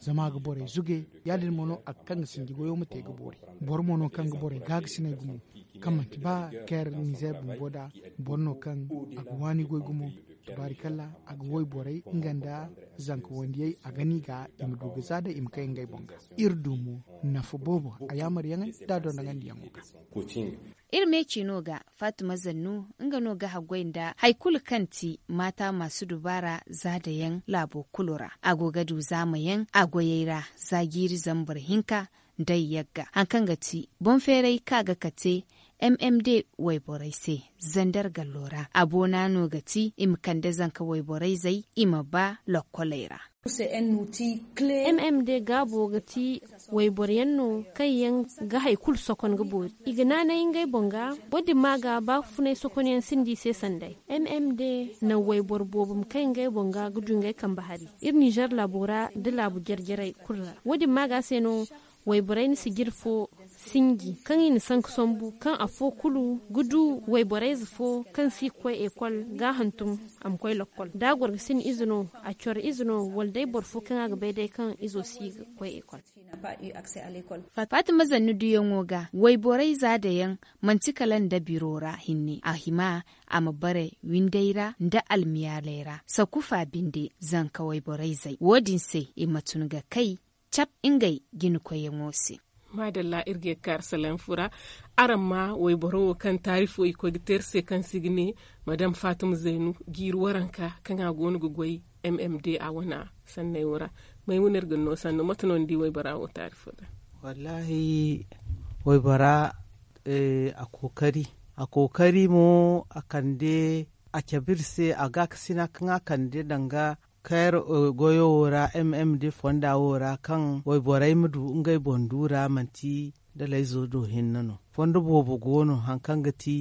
Zama a ga borey zuge ya- din mo no a ga kaŋ ga sinji goyo ma te ga boori. Boro mo no kaŋ ga borey gaagasiney gumo kaŋ manti ba care nizer bumbo da boro no kaŋ a ga waani goy gumo. Tubaarikalla a ga woy borey nga nda zanka wandiyey a ga no i ga i ma du ga za day i ma kay ngey boŋ ga. Iri du mo nafa boobo a yaamar yaŋey nda a dondoŋandiyaŋo ga. Iri me ciino ga fatima zannu nga no ga haggoy nda hari kulu kaŋ ti maata maasu dubaara zaada yaŋ laabo kulu ra a go ga du zaama yaŋ a goyey ra za jiiri zambar hinka nda yagga hari kaŋ ga ti boŋ feeray kaŋ a ga kate. Mm day wayborey se zander gallo ra a boona no ga ti i ma kande zanka wayborey zey i ma ba lokkoley ra. Mm day gaabo ga ti wayboro yaŋ no kaŋ yaŋ ga hari kulu sokon ga boori i ga naanay ngey boŋ ga. Wo- din ma ga baafunay sokon yaŋ sinda i se sanday. Mm day naŋ wayboro boobo ma kay ngey boŋ ga ga du ngey kambe hari iri nizer laabo ra nda laabu jare jarey kulu ra wo- din ma ga se no wayborey na sijiri fo Sinji kaŋ i na sanku sambu kaŋ afo kulu ga du wayborayze fo kaŋ si ga koy ekol ga a hantum a ma koy lakkol da a goro ga sinda ize no, a coro ize no, wala day boro fo kaŋ a ga bay day kaŋ izo si ga koy ekol. Fatima zanni duyaŋo ga wayborayza dayaŋ, manti kala nda biro ra hinne a hima a ma bare winday ra nda almiyaalay ra sakufa binde zanka wayborayzey wo- din se i ma tun ga kay cab ngey jina koyyaŋo se. Maadalla iri ga ye ga ka arasalaham fura. Araŋ ma wayboro wo kaŋ taarifo i koy ga te iri se kaŋ se i ga ne madam fatima zaynu jiiri waranka kaŋ a go no ga goy m m d a wane sanney wo ra. Maymuna iri ga ni no sannu mate no ni di waybora wo taarifo da? Wallaahi, waybora a kookari a kookari mo a kande a cabe iri se a gaakasina kaŋ a kande danga kayra goyo wo ra m m d fonda wo ra kaŋ wayborey ma du ngey boŋ du ra manti dalayzo do hinne no. Fondo boobo go no hari kaŋ ga ti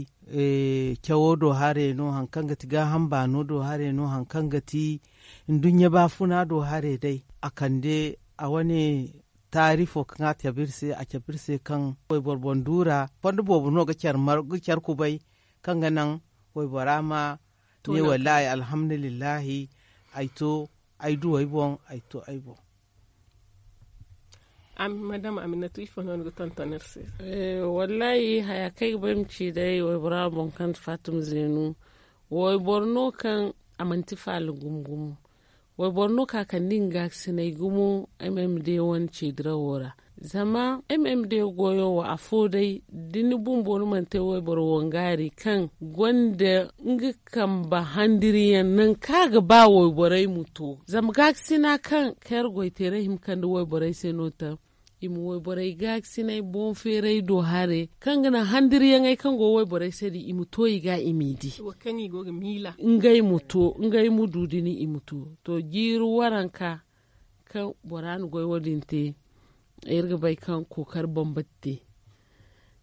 cawo do hare no hari kaŋ ga ti gaaham baano do hare no hari kaŋ ga ti nduɲɲa baafuna do hare day a kande a wane taarifo kaŋ a cabe iri se a cabe iri se kaŋ wayboro boŋ du ra fondo boobo no ga care kubay kaŋ ga naŋ waybora ma ne wallaahi alhamdulillahi ay to ay du ay boŋ ay to ay boŋ. Madama aminatu ifo no ni ga tonton iri se? Wallaahi haya kaŋ ay ga ba ay ma ci day waybora boŋ kaŋ ti fatima zeenu wayboro no kaŋ a manti faala gumo gumo. Wayboro no kaŋ a kande nga gaakasinay gumo m m d wane ceedirawo ra. Zama m m d goyo wo afo day da ni bumbo ni mana te wayboro wangaari kaŋ gonda nga kambe handiriyaŋ nangu kaŋ a ga ba wayborey ma to zama gaakasina kaŋ kayra goyteeray hima kande wayborey se no taŋ i ma wayborey gaakasinay boŋ feeray do hare kaŋ ga naŋ handiriyaŋey kaŋ go wayborey se din i ma to i ga i m'i di. Ngey ma to ngey ma du da ni i ma to. To jiiri waranka kaŋ bora na goy wo- din te iri ga bay kaŋ kookari bambata te.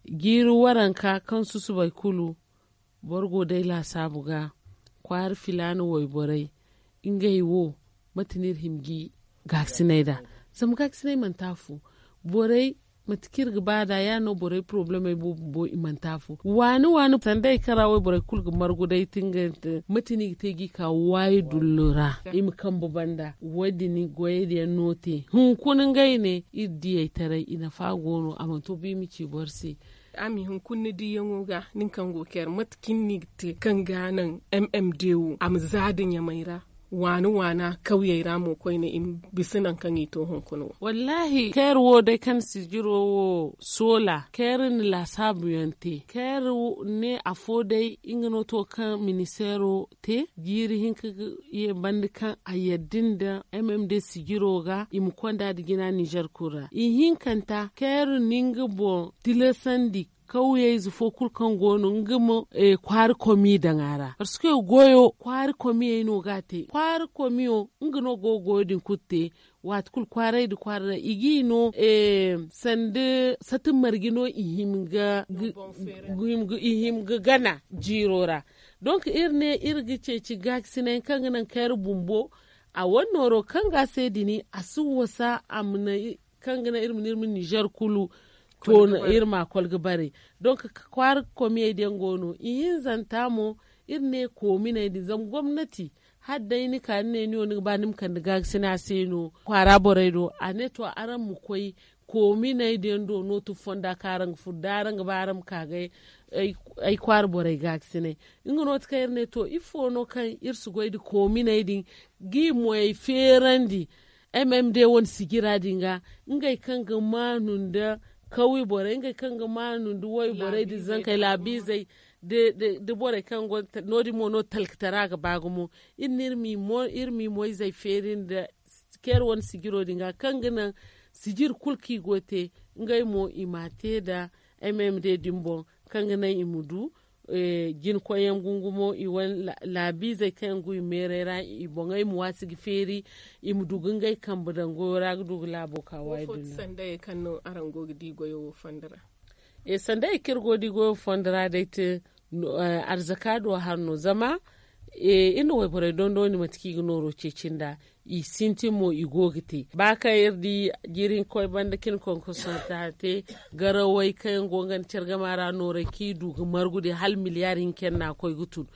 Jiiri waranka kaŋ susubay kulu boro go day laasaabu ga kwaara filaana wayborey ngey wo mate no iri hima ga i gaakasinay nd'a? Zama gaakasinay manti afo borey mate kaŋ iri ga ba nd'a ya- din no borey porobalemey boobo bumbo i manti afo waani waani sanda hari kaŋ ra wayborey kulu ga margu day ti nga mate no i ga te ga i ka waayi dullu ra i ma kambe banda wo- din goyey din yaŋ no te hunkuna ngey ne iri diyey taray i nafa go no a mana to ba i ma ci boro se. Ami hunkuna ni diyaŋo ga nin kaŋ go ga care mate kaŋ ni ga te kaŋ ga naŋ m m d wo a ma za da ɲamay ra waana waana kawyey ra mo koyne i ma bisa nangu kaŋ i to hunkuna wo? Wallaahi care wo day kaŋ sijiro wo soola care na laasaabu yaŋ te care ne afo day nga no to kaŋ ministeero te jiiri hinka ga ye banda kaŋ a yadda nda m m d sijiro ga i ma konda nda jina nizer kulu ra ihinkanta care na nga boŋ tilasandi kawyeyze fo kulu kaŋ go no nga ma kwaara komi daŋ a ra parce que goyo kwaara komiyey no ga a te kwaara komiyo nga no go ga goyo din kulu te. Waati kulu kwaaray nda kwaara ra i g'i no sanda sati marje no i hima ga gana jiiro ra. Donk iri ne iri ga ceeci gaakasinay kaŋ ga naŋ kayra bumbo a wane nooro kaŋ ga a se dini a si wasa a ma naŋ kaŋ ga naŋ iri ma ne iri ma nizer kulu to iri ma a kol ga bare. Donk kwaara komiyey da yaŋ go no ihinzanta mo iri ne koominey din zama gomnati hala day ni ka ni ne ni wo ni ga ba ni ma kande gaakasina se no kwaara borey do a ne to araŋ ma koy koominey din do nootu fonda kaŋ araŋ ga furo da araŋ ga ba araŋ ma ka ga ay kwaara borey gaakasinay. Nga no ti kaŋ iri ne to ifo no kaŋ iri si goy nda koominey din ga i moyey feerandi m m d wane sijira din ga ngey kaŋ ga maanu nda kawye borey ngey kaŋ ga maanu nda wayborey nda zankey laabiizey nda borey kaŋ go no- din mo no talkatara ga ba gumo. Iri ne iri m'i moyzey feeri nda care wane sijiro din ga kaŋ ga naŋ sijir kulu kaŋ i go ga te ngey mo i m'a te nda m m d din boŋ kaŋ ga naŋ i ma du jinakoyyaŋ gungumo i wane laabiizey kaŋ yaŋ go i meeray ra i boŋey ma waasi ga feeri i ma du ga ngey kambe daŋ goyo ra ga du ga laabo ka waayi dullo ra. Sandayey kaŋ no araŋ go ga di goyo wo fondo ra? Sandayey kaŋ iri go ga di goyo fondo ra day te arzaka do hari no zama Iri na wayborey dondondi mate kaŋ i ga nooro ceeci nd'a. I sintin mo i go ga te ba kaŋ iri di jiiri hinka koy banda cin konkoso ta te. Garawey kaŋ yaŋ go ga nga nda care gama ra noorey kaŋ i du ga margu din hala miliyaari hinka yaŋ no a koy ga tun.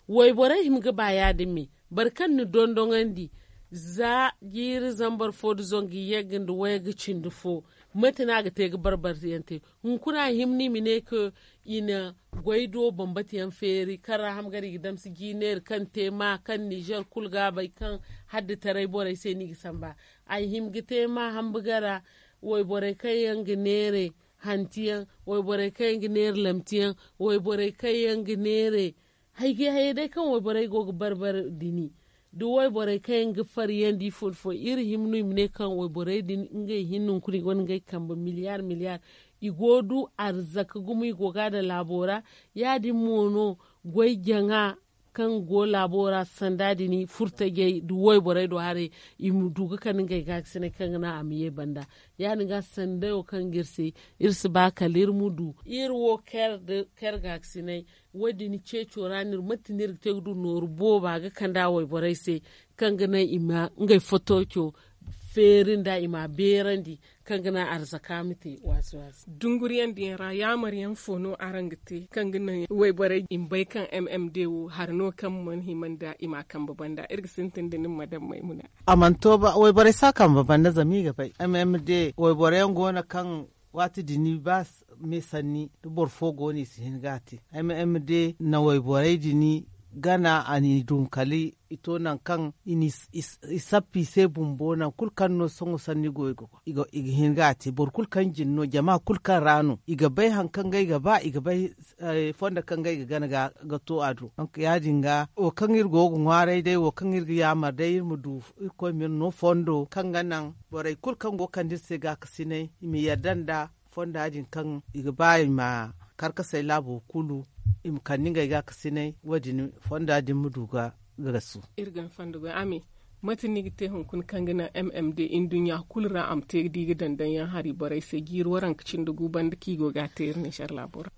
Wayborey hima ga ba ya- din me boro kaŋ ni dondoŋandi za jiiri zambar fo nda zangu yagga nda wayga cindi fo. Mate no a ga te ga barbaryaŋ te? Hunkuna a hima no i ma ne kaŋ i na goy do bambata yaŋ feeri kaŋ ra hama gar i ga damsi jiineeri kaŋ te ma kaŋ nizer kulu ga a bay kaŋ hadditaray borey se no i ga samba. A hima ga te ma hamba gara wayborey kaŋ yaŋ ga neere hanti yaŋ, wayborey kaŋ yaŋ ga neere lamti yaŋ, wayborey kaŋ yaŋ ga neere hayge hayey day kaŋ wayborey go ga barbare dini. Da wayborey kaŋ yaŋ ga faryandi fo nda fo iri hima no i ma ne kaŋ wayborey din ngey hinne hunkuna i gonda ngey kambe miliyaari miliyaari. I go ga du arzaka gumo i go ga a daŋ laabo ra. Ya- din mo no goy jaŋa kaŋ go laabo ra sanda din furtajey da wayborey do haray i ma du ga kande ngey gaakasinay kaŋ ga naŋ a ma ye banda. Ya- din ga sandayo kaŋ ga iri se iri si ba kala iri ma du iri wo kar da kar gaakasinay. Wo- din ceeco ra no iri mate no iri ga te ga du nooru booba ga kande a wayborey se kaŋ ga naŋ i ma ngey fotooco feeri nd'a i m'a beerandi kaŋ ga naŋ arzaka ma te waasi waasi. Dunguriyaŋ din yaŋ ra yaamar yaŋ fo no araŋ ga te kaŋ ga naŋ wayborey i ma bay kaŋ m m d wo hari no kaŋ mana hima nda i m'a kambe banda iri ga sintin da nin madam maymuna. A mana to ba wayborey si a kambe banda zama i ga bay m m d wayborey yaŋ go no kaŋ waati din i ba me sanni da boro fo go no i si hin ga a te. M m d na wayborey din gana a n'i dunkali i to nangu kaŋ i sappi i se bumbo nangu kulu kaŋ no sohõ sanni go i ga hin ga a te boro kulu kaŋ jin no jama kulu kaŋ ra no i ga bay hari kaŋ ga i ga ba i ga bay fondo kaŋ ga i ga gana ga to a do. Donk ya- din ga wo kaŋ iri go ga ŋwaaray day wo kaŋ iri ga yaamar day iri ma du irkoy ma iri no fondo kaŋ ga naŋ borey kulu kaŋ go ga kande iri se gaakasinay i ma yadda nda fonda din kaŋ i ga ba i ma karkasey laabo kulu i ma kande ngey gaakasinay wo- din fonda din ma du ga gasu. Iri ga ni fondo goy a me mate no ni ga te hunkuna kaŋ ga naŋ m m d nduɲɲa kulu ra a ma te ga di ga daŋ daŋ yaŋ hari borey se jiiri waranka cindi gu banda kaŋ i go ga a te iri ninzer laabo ra.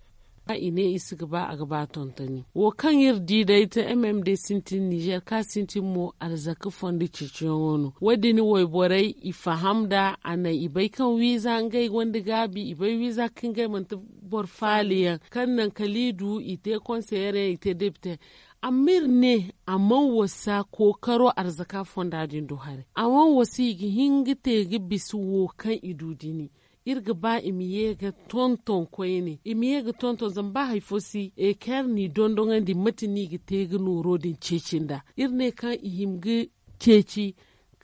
I ne i si ga ba a ga ba tontoni wo kaŋ iri di day te m m d sintin ninzer kaŋ a sintin mo arzaka fondo ceeciyaŋo no wo- din wayborey i faham nd'a a naŋ i bay kaŋ wiiza ngey gonda gaabi i bay wiiza kaŋ ngey manti boro faali yaŋ kaŋ naŋ kala i du i te konseyer yaŋ i te depite. Amma iri ne a mana wasa kookaro arzaka fonda din do haray a mana wasa i ga hin ga te ga bisa wo kaŋ i du dini. Iri ga ba i ma ye ga tonton koyne i ma ye ga tonton zama ba hari fo si eker n'i dondoŋandi mate no i ga te ga nooro din ceeci nd'a. Iri ne kaŋ i hima ga ceeci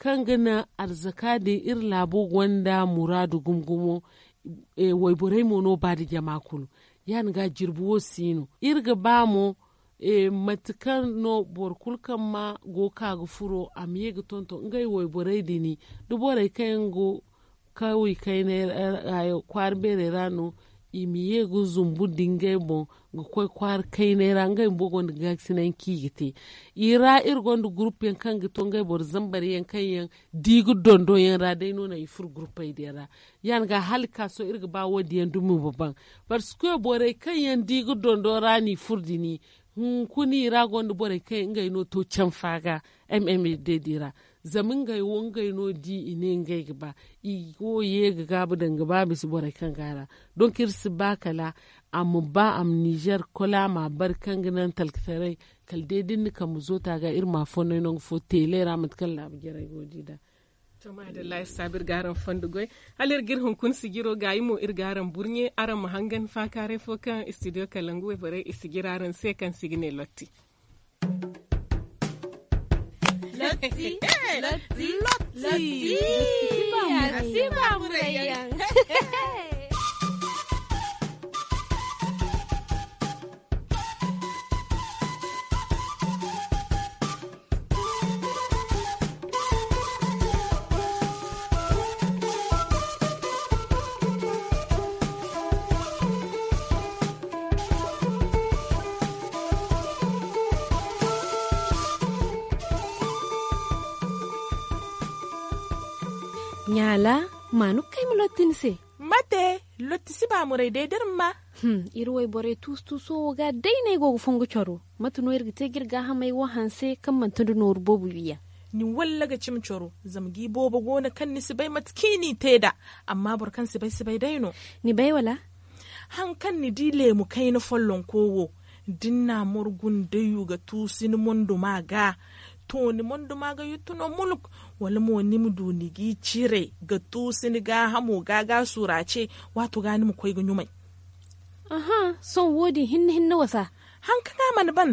kaŋ ga naŋ arzaka din iri laabo gonda muraadu gumo gumo. Wayborey mo no ba nda jama kulu ya- din ga jirbi wo si no iri ga ba mo mate kaŋ no boro kulu kaŋ ma go ga ka ga furo a ma ye ga tonton ngey wayborey din da borey kaŋ yaŋ go kawey kaynay ra kwaara beerey ra no i ma ye ga zumbu nda ngey boŋ ga koy kwaara kaynay ra ngey bumbo gonda gaakasinay kaŋ i ga te. I ra iri gonda gurupu yaŋ kaŋ ga to ngey boro zambar yaŋ kaŋ yaŋ da i ga dondon yaŋ ra day no naŋ i furo gurupey din ra. Ya- din ga hala ga ka sohõ iri ga ba wo- din yaŋ dumi ma baŋ parce que borey kaŋ yaŋ da i ga dondon ra no i furo din hunkuna i ra gonda borey kaŋ yaŋ ngey no to canfa ga m m d din ra. Zama ngey wo ngey no di i ne ngey ga ba i go ye ga gaabu daŋ ga ba bisa borey kaŋ go a ra. Donk iri si ba kala a ma ba a ma nizer kola ma a bari kaŋ ga naŋ talkataray kala day da iri na kambe zoota ga iri ma a fonnay nangu fo teelay ra mate kaŋ laabu jarey go ga di nd'a. To maadalla iri saabu iri ga araŋ fondo goy hala iri ga iri hunkuna sijiro gaayi mo iri ga araŋ burɲe araŋ ma hangan faakaaray fo kaŋ istidiyo kalangu wayborey i sijira araŋ se kaŋ se i ga ne lotti. Lotti. Lotti. Lotti. Lotti. Lotti. Ɲaala, ma no ga kay ma lotti ni se. Mate, lotti si baamuray day da iri ma. Iri wayborey tuusu-tuuso wo ga day no ay go ga fongu coro. Mate no iri ga te ga iri gaahamey wo hanse kaŋ manti nda nooru boobo wiiyaŋ? Ni walla ga cimi coro, zama ga i boobo go no kaŋ ni si bay mate kaŋ i n'i te nd'a. Amma boro kaŋ si bay si bay day no. Ni bay wala? Haŋ kaŋ ni di leemu kayna follonko wo, da ni n'a morgu nda yu ga tuusu ni monduma ga, to ni monduma ga yuttu no muluk. Wala mo ni ma du ni g'i cire ga tuusu ni gaahamo ga ga suura ce, waato ga ni ma koy ga ɲumay. Sohõ wo- din hinne hinne wasa. Haŋ kaŋ a mana ban,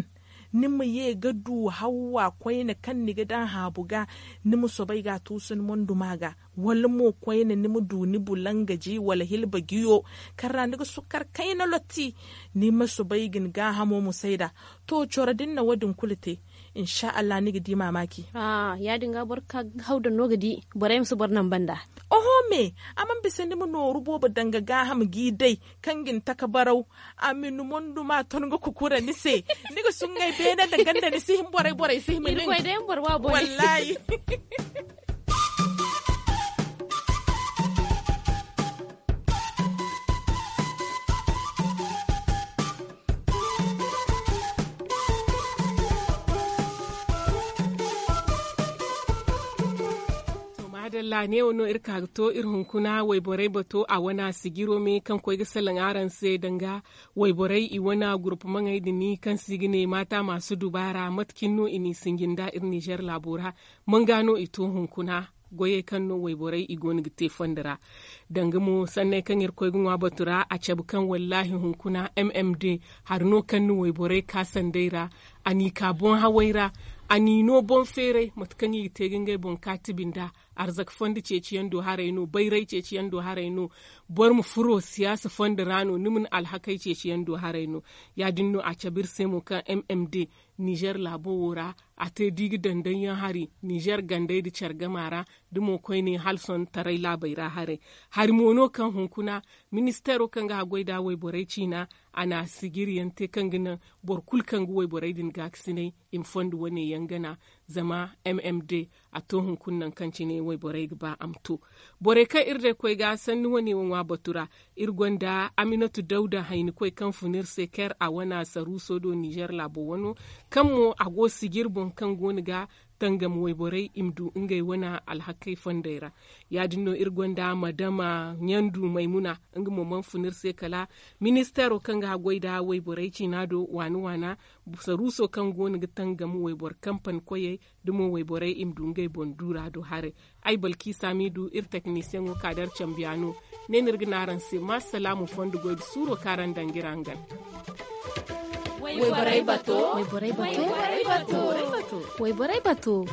ni ma ye ga du hawwa koyne kaŋ ni ga daŋ haabu ga, ni ma soobay ga a tuusu ni monduma ga. Wala mo koyne ni ma du ni bulangaji wala hilba jiyo, kaŋ ra ni ga sukkar kayna lotti. Ni ma soobay ga ni gaahamo musay nd'a. To coro da ni na wo- din kulu te, insa allah ni ga di maamaaci. Ya- din ga boro ga ka ga haw daŋ no ga di. Borey ma si boro naŋ banda. Oho me, a mana bisa ni ma nooru boobo daŋ ga gaaham g'i day, kaŋ ga ni taka baraw. A ma ni monduma ton ga kukura ni se. Ni ga suŋay beene nda ganda ni si hin borey borey si hima nin. Wallaahi. Maadalla neewo no iri ka ga to iri hunkuna wayborey bato a wana sijiro me kaŋ koy ga salaŋ araŋ se danga wayborey i wana gurupamaŋey din kaŋ se i ga ne maata maasu dubaara mate cine no i n'i sinji nda iri nizer laabo ra? Manga no i to hunkuna goyey kaŋ no wayborey i go no ga te fondo ra. Danga mo sanney kaŋ iri koy ga ŋwa batu ra a cabe kaŋ wallaahi hunkuna m m d hari no kaŋ na wayborey ka sanday ra. A n'i ka boŋ hawey ra. A n'i no boŋ feeray mate kaŋ i ga te ga ngey boŋ kaatibi nd'a. Arzaka fondo ceeciyaŋ do haray no bayray ceeciyaŋ do haray no. Boro ma furo siyaasa fondo ra no ni ma ni alhakey ceeciyaŋ do haray no. Ya- din no a cabe iri se mo kaŋ m m d nizer laabo wo ra a te da i ga daŋ daŋ yaŋ hari nizer gandey nda care gama ra. Da mo koyne hala sohõ taray laabey ra haray. Hari mo no kaŋ hunkuna ministeero kaŋ ga haggoy nda wayborey ciina a na sijiri yaŋ te kaŋ ga naŋ boro kulu kaŋ ga wayborey din gaakasinay i ma fondo wane yaŋ gana. Zama m m d a to hunkuna nangu kaŋ cine wayborey ga ba a ma to. Borey kaŋ iri day koy ga sanni wane wo ŋwa batu ra. Iri gonda aminatu dawda haynikoy kaŋ fun iri se ker a wana saruuso do nizer laabo wano, kaŋ mo a go sijiri boŋ kaŋ go no ga tangam wayborey i ma du ngey wana alhakey fondey ra. Ya- din no iri gonda madama ɲandu maymuna, nga mo mana fun iri se kala ministeero kaŋ ga haggoy nda wayborey ciina do waana waana. Saruuso kaŋ go no ga tangam wayboro kampani koyey da mo wayborey i ma du ngey boŋ duura do haray. Ay balkiisa m'i du iri teknisiyaŋo ka da araŋ cambiya no. Ne no iri ga ne araŋ se ma salaamu fondo goy nda suuro kaŋ araŋ daŋ ga iri hangan. Wayborey bato. Wayborey bato. Wayborey bato.